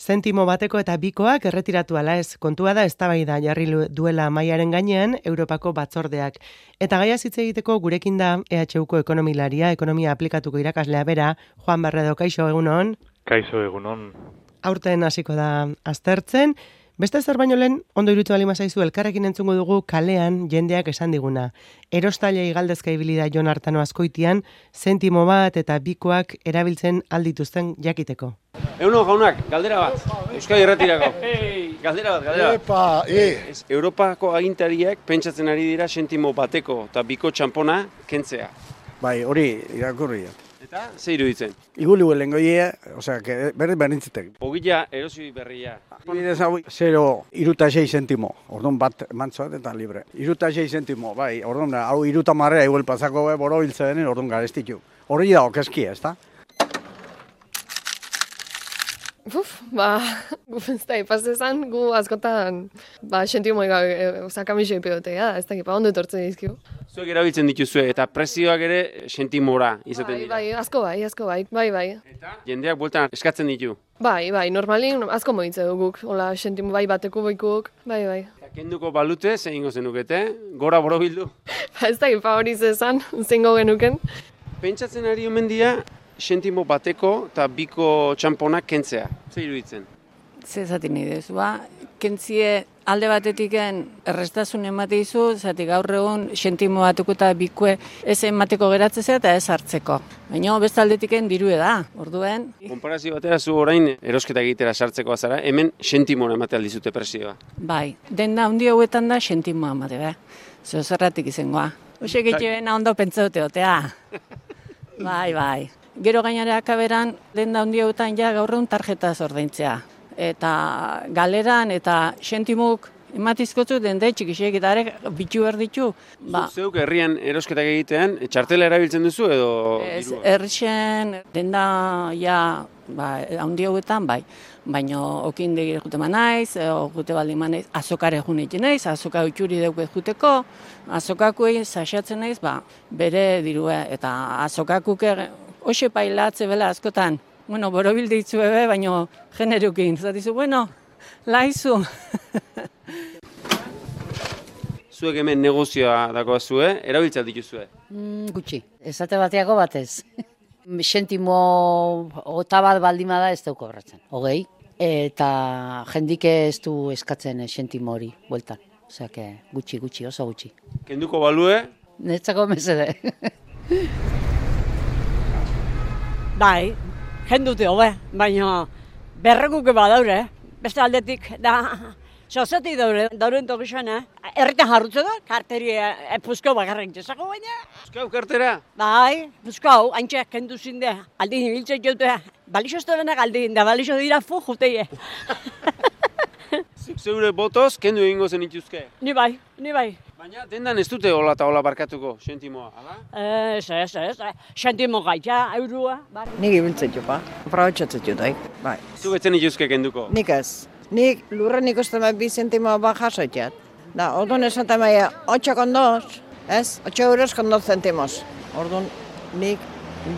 Zentimo bateko eta bikoak erretiratu ala ez. Kontua da eztabaida jarri duela mahaiaren gainean Europako batzordeak. Eta gaia hitz egiteko gurekin da EHUko ekonomilaria, ekonomia aplikatuko irakaslea bera, Juan Barredo, kaixo egunon. Kaixo egunon. Aurten hasiko da aztertzen. Beste zer baino lehen, ondo iruditu bali mazaizu, elkarrekin entzungo dugu kalean jendeak esan diguna. Erostailei galdezka ibili da Jon Artano Azkoitian, zentimo bat eta bikoak erabiltzen aldituzten jakiteko. Euno jaunak, galdera bat, Euskadi Irratirako. Galdera bat. Epa, Europako agintariak pentsatzen ari dira zentimo bateko eta biko txampona kentzea. Bai, hori irakurri. Eta, ze iruditzen? Iguli lengoia, osea, berdintzitek. Ogila erosi berria. Bidez hau, 0,6 zentimo, orduan bat mantzoat eta libre. 0,6 zentimo, bai, orduan, hau 30 igual pasako boro hiltze denen, orduan garestitu. Hori da, okezkia, ez da? Gufenzta, ipaztezan, gu askotan, sentimo kamisio ipeotea, ez da, ondo etortzen dizkigu. Zuek erabiltzen dituzue eta prezioak ere sentimora izaten dira. Bai, asko bai. Eta jendeak bueltan eskatzen ditu. Bai, normalin asko moitze duguk, hola, sentimo bai bateko boikuk, bai. Kenduko balute, zein ingo zenukete, gora borobildu. Ez da, hori zezan, zingo genuken. Pentsatzen ari omen dira, sentimo bateko eta biko txamponak kentzea. Zer iruditzen? Zer zaten idez, kentzie alde batetik errestasun emate izu, zati gaur egun sentimo batuko eta bikue ez emateko geratzea eta ez hartzeko. Baina beste aldetik dirue da, orduen. Konparazio batera zu orain erosketa egitera sartzeko azara, hemen sentimora emate aldizute presioa. Bai, denda handi hauetan da sentimoa emate, zerratik izangoa. Hoxe getxebena ondo pentsaute otea. Bai. Gero gainera akaberan, denda handi hauetan ja gaur egun tarjetaz ordaintzea. Eta galeran eta sentimuk ematizkotzu dende txikisek eta bitu behar ditu. Zeuk herrian erosketak egitean, txartela erabiltzen duzu edo? Errixen denda handi hauetan bai. Baina okin degire jute manaiz, jute baldin manaiz, azokare junetzen naiz, azoka utxuri deuke juteko, azokakuei saxatzen naiz, bere dirua eta azokakuk hoxe pailatze bela askotan. Borobilde itzu ebe, baina generukin. Zatizu, laizu. Zuek hemen negozioa dagoa zue, erabiltzat dituzue? Gutxi, esate bateako batez. Sentimo bat baldima da ez dauko horretzen, 20. Eta jendike ez du eskatzen sentimo hori, bueltan. Osea, gutxi, oso gutxi. Kenduko balue? Netzako mesede. Bai. Jendute hobe, baina berreguke badaure, beste aldetik, sozetik dauren tokizan, erritan jarrutze da, karteri puzkau bakarren txezako baina. Puzkau kartera? Bai, puzkau, haintxeak kendu zinde, aldin hibiltzen jote, balixo estebenak aldin, da balixo dira juteie. Zeure botoz, kendu egingo zen ituzke? Ni bai. Baina dendan ez dute hola eta hola barkatuko, sentimoa, ala? Ez, sentimo gaita, eurua. Nik ibiltzen jopa, aprobetxatzen jotaik, bai. Zuk etzen ituzke kenduko? Nik ez. Nik lurren ikusten bi sentimo bat jasoitzat. Da, orduan esan tamaia, 8 kondoz, ez? 8 euros con 2 centimos. Orduan nik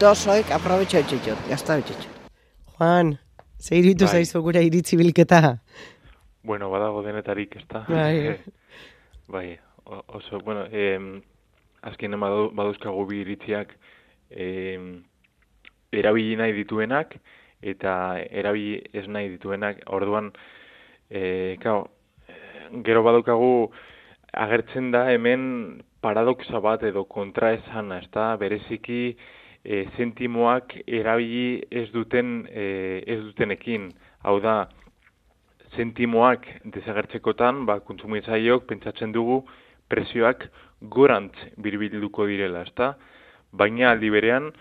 2 hoik aprobetxatzen jot, gaztabetxatzen. Juan, ze iruditu zaizu gure iritzi bilketa? Badago denetarik, ez da? Bai, oso, azkenean baduzkagu bi iritziak erabili nahi dituenak eta erabili ez nahi dituenak. Orduan, gero badaukagu agertzen da hemen paradoxa bat edo kontraesana, ez da? Bereziki zentimoak erabili ez dutenekin, hau da, zentimoak desagertzekotan, kontsumitzaileok pentsatzen dugu prezioak gorantz birbilduko direla, ezta? Baina aldi berean,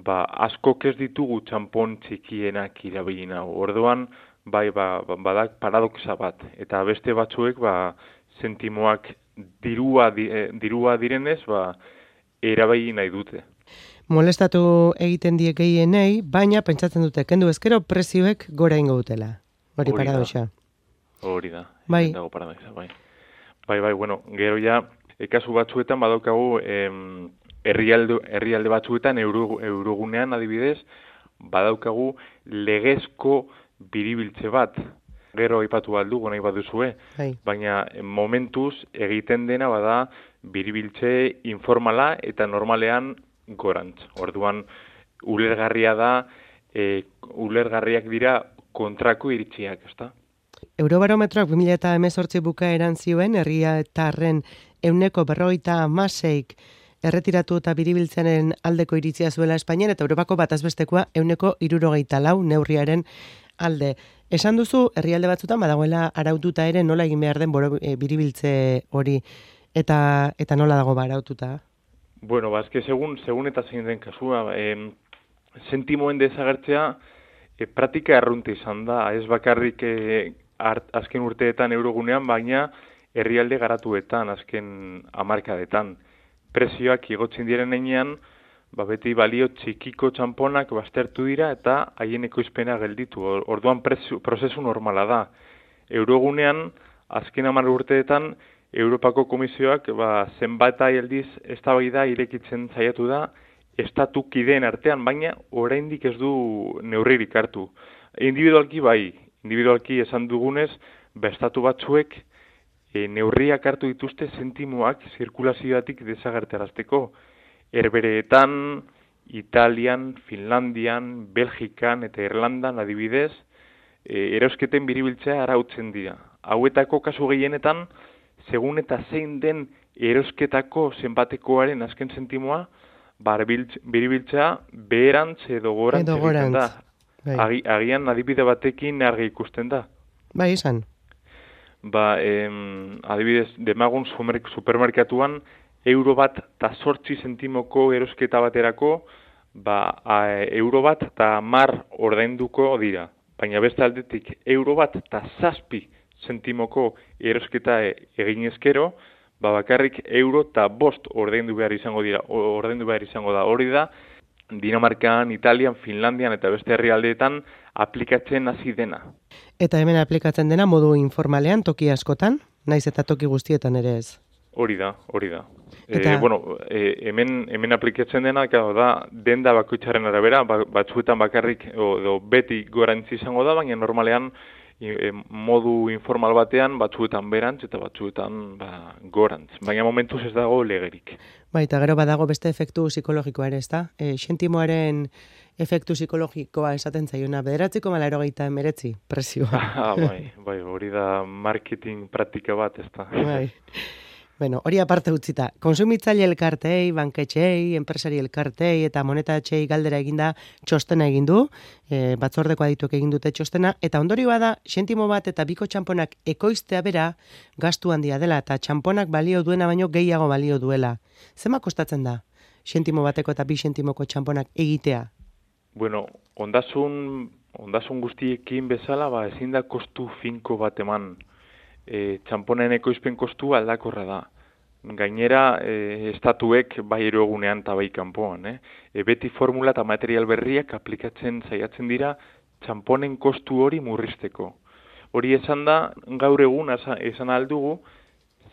askok ez ditugu txampon txikienak irabili nahu. Orduan, badak paradoxa bat. Eta beste batzuek, zentimoak dirua direnez, erabili nahi dute. Molestatu egiten die gehienei, baina pentsatzen dute, kendu ezkero prezioek gora ingo dutela. Hori paradoxa. Hori da. Bai. Dago paradoxa, bai. Bai, gero ja, kasu batzuetan badaukagu herrialde batzuetan, eurogunean adibidez, badaukagu legezko biribiltze bat, gero aipatu aldugu nahi baduzue, baina momentuz egiten dena bada biribiltze informala eta normalean gorantz. Orduan, ulergarria da, ulergarriak dira kontrako iritziak, ezta? Eurobarometroak 2018 bukaeran zioen, herritarren 46% erretiratu eta biribiltzearen aldeko iritzia zuela Espainian, eta Europako batazbestekoa 64% neurriaren alde. Esan duzu, herrialde batzutan badagoela araututa ere nola egin behar den biribiltze hori, eta nola dago araututa? Bueno, eske segun eta zein den kasua, sentimoen desagertzea praktika arrunte izan da, ez bakarrik azken urteetan eurogunean, baina herrialde garatuetan, azken hamarkadetan. Prezioak igotzen diren heinean, beti balio txikiko txamponak baztertu dira eta haien ekoizpena gelditu. Orduan prozesu normala da. Eurogunean, azken 10 urteetan, Europako Komisioak zenbat aldiz eztabaida irekitzen saiatu da, estatu kideen artean, baina oraindik ez du neurririk hartu. Individualki esan dugunez, estatu batzuek neurriak hartu dituzte sentimoak zirkulazioatik desagertarazteko. Herbereetan, Italian, Finlandian, Belgikan eta Irlandan adibidez, erosketen biribiltzea arautzen dira. Hauetako kasu gehienetan, segun eta zein den erosketako zenbatekoaren azken sentimoa, biribiltzea beherantz edo gorantz egiten da. Agian adibide batekin argi ikusten da. Bai, izan. Adibidez, demagun supermerkatuan, euro bat eta 8 zentimoko erosketa baterako, euro bat eta 10 ordainduko dira. Baina beste aldetik, euro bat eta 7 zentimoko erosketa egin ezkero, bakarrik euro eta 5 ordaindu behar izango da. Hori da, Dinamarkan, Italian, Finlandian eta beste herrialdeetan aplikatzen hasi dena. Eta hemen aplikatzen dena modu informalean toki askotan, naiz eta toki guztietan ere ez? Hori da. Hemen aplikatzen dena, da, denda bakoitzaren arabera, batzuetan bakarrik, edo beti gorantzi izango da, baina normalean modu informal batean, batzuetan berantz eta batzuetan gorantz. Baina momentuz ez dago legerik. Eta gero badago beste efektu psikologikoa ere, ez da? Sentimoaren efektu psikologikoa esaten zaiona, 9,89 prezioa. Bai, hori da marketing praktika bat, ez da. Bueno, hori aparte utzita, konsumitzaile elkartei, banketxei, enpresari elkartei eta monetatxei galdera eginda txostena egin du, batzordeko adituek egin dute txostena, eta ondorioa da, sentimo bat eta biko txamponak ekoiztea bera gastu handia dela, eta txamponak balio duena baino gehiago balio duela. Zema kostatzen da, sentimo bateko eta 2 sentimoko txamponak egitea? Bueno, ondasun guztiekin bezala, ezin da kostu finko bat eman. Txamponen ekoizpen kostu aldakorra da. Gainera, estatuek bai erogunean eta bai kanpoan. Beti formula eta material berriak aplikatzen saiatzen dira txamponen kostu hori murrizteko. Hori esan da, gaur egun esan aldugu,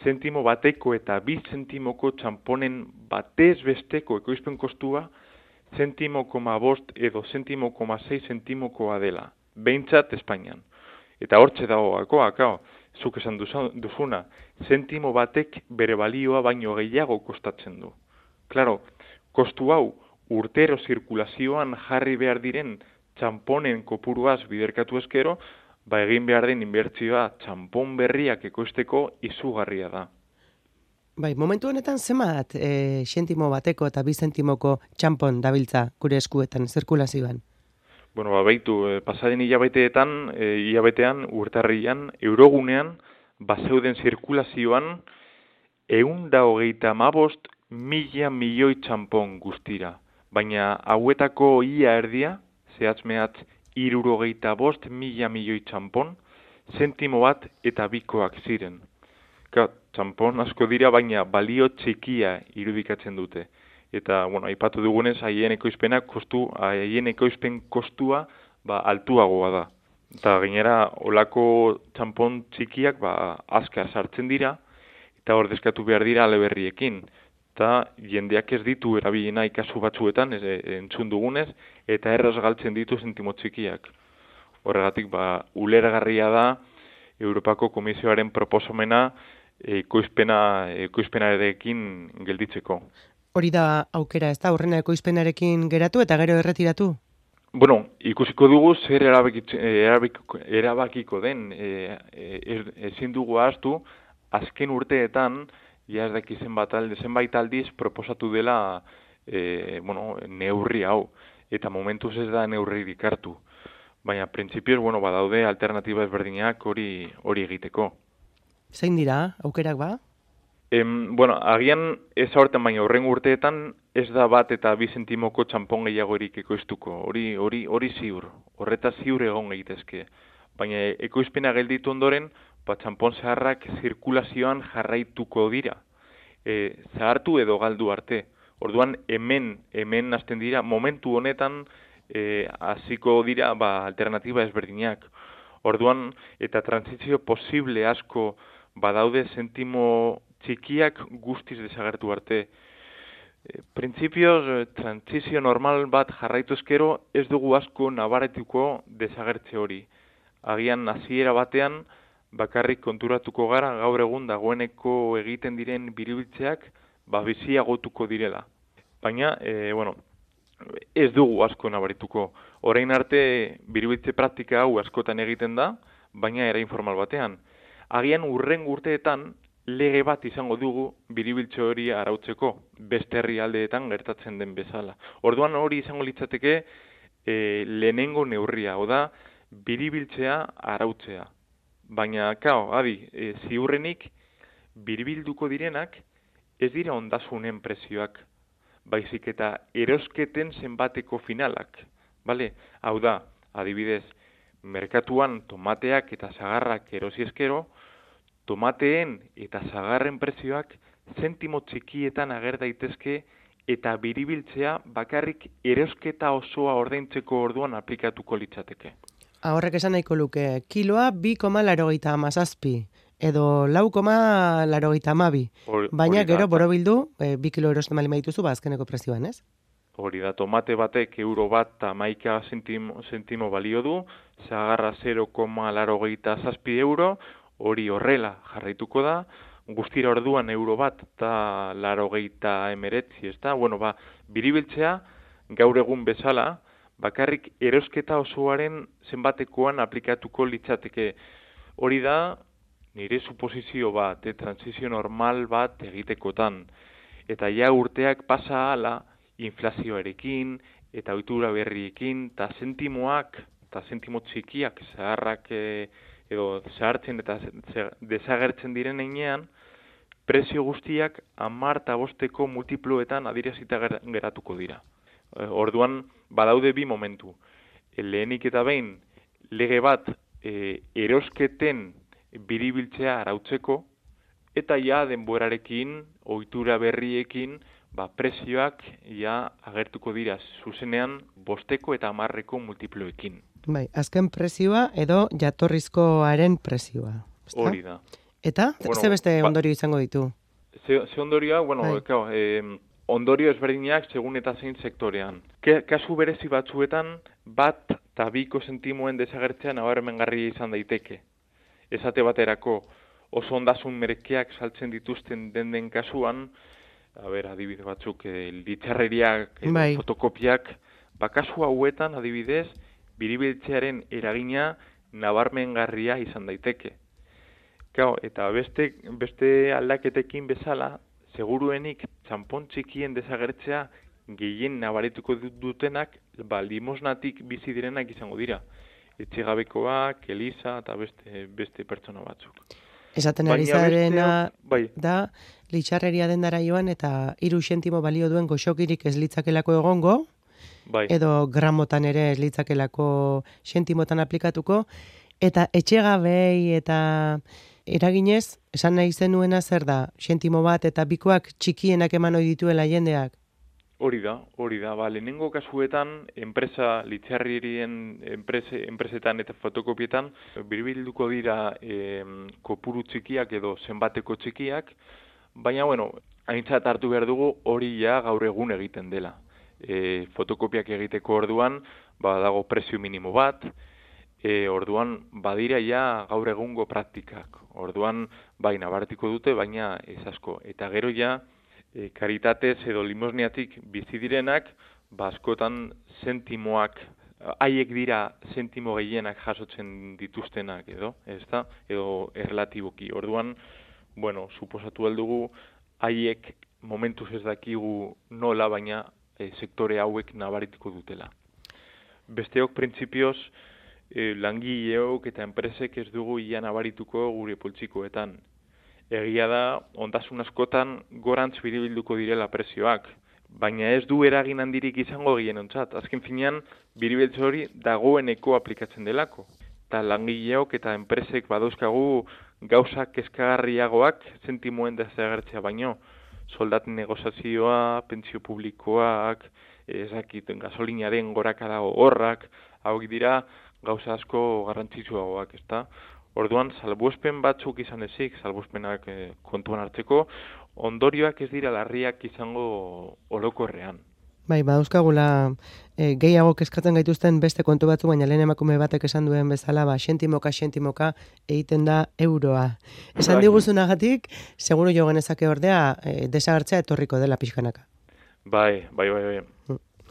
sentimo bateko eta 2 sentimoko txamponen batez besteko ekoizpen kostua, 0,5 edo 0,6 sentimokoa dela. Behintzat Espainian. Eta hortxe dago gakoa, zuk esan duzuna, sentimo batek bere balioa baino gehiago kostatzen du. Klaro, kostu hau urtero zirkulazioan jarri behar diren txamponen kopuruaz biderkatu ezkero, egin behar den inbertsioa txampon berriak ekoizteko izugarria da. Momentu honetan zemat sentimo bateko eta 2 sentimoko txampon dabiltza gure eskuetan zirkulazioan? Baitu, pasaden hilabetean, urtarrian, eurogunean, bazeuden zirkulazioan, 125.000 milioi txampon guztira. Baina hauetako ia erdia, zehatz-mehatz 75.000 milioi txampon, sentimo bat eta bikoak ziren. Txampon asko dira, baina balio txikia irudikatzen dute. Eta, aipatu dugunez, haien ekoizpen kostua altuagoa da. Eta gainera, olako txampon txikiak azkar sartzen dira, eta ordezkatu behar dira aleberriekin. Eta jendeak ez ditu erabili nahi kasu batzuetan, entzun dugunez, eta erraz galtzen ditu sentimo txikiak. Horregatik, ulergarria da Europako Komisioaren proposamena ekoizpenarekin gelditzeko. Hori da aukera, ez da, horrena ekoizpenarekin geratu eta gero erretiratu? Bueno, ikusiko dugu zer erabakiko den. Ezin dugu ahaztu, azken urteetan, ja ez daki zenbait aldiz proposatu dela neurri hau. Eta momentuz ez da neurririk hartu. Baina, printzipioz, badaude alternatiba ezberdinak hori egiteko. Zein dira, aukerak ba? Agian ez aurten baina horren urteetan ez da 1 eta 2 zentimoko txampon gehiagorik ekoiztuko. Hori ziur. Horretaz ziur egon egitezke. Baina ekoizpena gelditu ondoren, txampon zaharrak zirkulazioan jarraituko dira. Zahartu edo galdu arte. Orduan hemen hasten dira, momentu honetan hasiko dira alternatiba ezberdinak. Orduan, eta transizio posible asko badaude zentimo txikiak guztiz desagertu arte. Printzipioz, transizio normal bat jarraitu ezkero ez dugu asko nabaretuko desagertze hori. Agian hasiera batean bakarrik konturatuko gara gaur egun dagoeneko egiten diren biribiltzeak biziagotuko direla. Baina, ez dugu asko nabarituko. Orain arte biribiltze praktika hau askotan egiten da, baina era informal batean. Agian urren urteetan lege bat izango dugu biribiltze hori arautzeko, beste herrialdeetan gertatzen den bezala. Orduan hori izango litzateke lehenengo neurria, oda biribiltzea arautzea. Baina, ziurrenik biribilduko direnak ez dira ondasunen prezioak, baizik eta erosketen zenbateko finalak. Hau da, adibidez, merkatuan tomateak eta sagarrak erosi ezkero, tomateen eta sagarren prezioak zentimo txikietan ager daitezke eta biribiltzea bakarrik erosketa osoa ordaintzeko orduan aplikatuko litzateke. Horrek esan nahiko luke, kiloa 2,87 edo 4,82. Baina gero borobildu, 2 kilo erosten bali maituzu, azkeneko prezioan, ez? Hori da, tomate batek euro bat eta 11 zentimo balio du, sagarra 0,87 euro, hori horrela jarraituko da, guztira orduan euro bat eta 89, ez da? Biribiltzea gaur egun bezala, bakarrik erosketa osoaren zenbatekoan aplikatuko litzateke. Hori da, nire suposizio bat, transizio normal bat egitekotan. Eta ja urteak pasa hala, inflazioarekin, eta ohitura berriekin, eta sentimoak, eta sentimo txikiak, zaharrak edo zahartzen eta desagertzen diren heinean, prezio guztiak 10 eta 5 multiploetan adierazita geratuko dira. Orduan, badaude 2 momentu. Lehenik eta behin, lege bat erosketen biribiltzea arautzeko, eta ja denborarekin, ohitura berriekin, prezioak ja agertuko dira zuzenean 5 eta 10 multiploekin. Azken prezioa edo jatorrizkoaren prezioa. Hori da. Eta, ze beste ondorio izango ditu? Ze ondorioa, ondorio ezberdinak segun eta zein sektorean. Kasu berezi batzuetan, 1 eta 2 zentimoen desagertzea nabarmengarria izan daiteke. Esate baterako oso ondasun merkeak saltzen dituzten den kasuan, adibide batzuk, litxarreriak, fotokopiak, kasu hauetan, adibidez, biribiltzearen eragina nabarmengarria izan daiteke. Eta beste aldaketekin bezala, seguruenik txampon txikien desagertzea gehien nabarituko dutenak limosnatik bizi direnak izango dira. Etxegabekoak, Elisa eta beste pertsona batzuk. Esaten ari zarena da, litxarreria dendara joan eta 3 zentimo balio duen goxokirik ez litzakelako egongo, edo gramotan ere ez litzakelako zentimotan aplikatuko, eta etxegabei eta eraginez, esan nahi zenuena zer da, zentimo bat eta 2koak txikienak eman ohi dituela jendeak? Hori da. Lehenengo kasuetan, litxarrierien enpresetan eta fotokopietan, biribilduko dira kopuru txikiak edo zenbateko txikiak, baina, aintzat hartu behar dugu hori ja gaur egun egiten dela. Fotokopiak egiteko orduan, dago prezio minimo bat, orduan badira ja gaur egungo praktikak. Orduan bai nabarituko dute, baina ez asko. Eta gero ja karitatez edo limosniatik bizi direnak, askotan zentimoak, haiek dira zentimo gehienak jasotzen dituztenak edo, ezta? Edo erlatiboki. Orduan, bueno, suposatu aldugu, haiek momentuz ez dakigu nola, baina sektore hauek nabarituko dutela. Besteok printzipioz, langileok eta enpresek ez dugu ia nabarituko gure poltsikoetan. Egia da, ondasun askotan gorantz biribilduko direla prezioak, baina ez du eragin handirik izango gehienontzat. Azken finean, biribiltze hori dagoeneko aplikatzen delako. Eta langileok eta enpresek badauzkagu gauzak kezkagarriagoak zentimoen desagertzea baino. Soldaten negozazioa, pentsio publikoak, gasolinaren gorakada horrak, hauek dira gauza asko garrantzitsuagoak, ezta? Orduan, salbuespen batzuk izan ezik, salbuespenak kontuan hartzeko, ondorioak ez dira larriak izango orokorrean. Bai, badauzkagula gehiago kezkatzen gaituzten beste kontu batzu, baina lehen emakume batek esan duen bezala, xentimoka egiten da euroa. Esan diguzunagatik, seguru jo genezake ordea, desagertzea etorriko dela pixkanaka. Bai.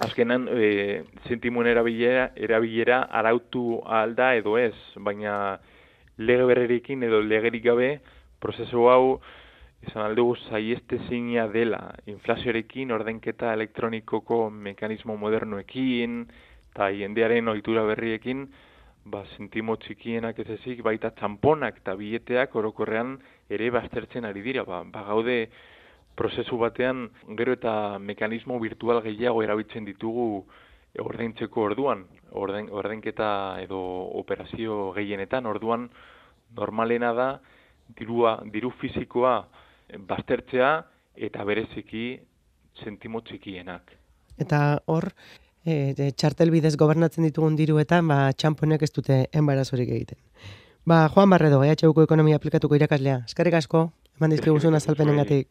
Azkenan, zentimoen erabilera arautu alda edo ez, baina lege berrerekin edo legerik gabe, prozesu hau, esan aldugu saiestezina dela, inflazioarekin, ordenketa elektronikoko mekanismo modernoekin, eta jendearen ohitura berriekin, zentimo txikienak ez ezik, baita txamponak eta bileteak orokorrean ere baztertzen ari dira. Gaude prozesu batean gero eta mekanismo virtual gehiago erabiltzen ditugu ordaintzeko orduan, ordenketa edo operazio gehienetan, orduan normalena da diru fisikoa baztertzea eta bereziki zentimo txikienak. Eta hor, txartel bidez gobernatzen ditugun diruetan, txamponek ez dute enbarazorik egiten. Juan Barredo, EHUko ekonomia aplikatuko irakaslea. Eskerrik asko, eman dizkiguzun azalpenengatik.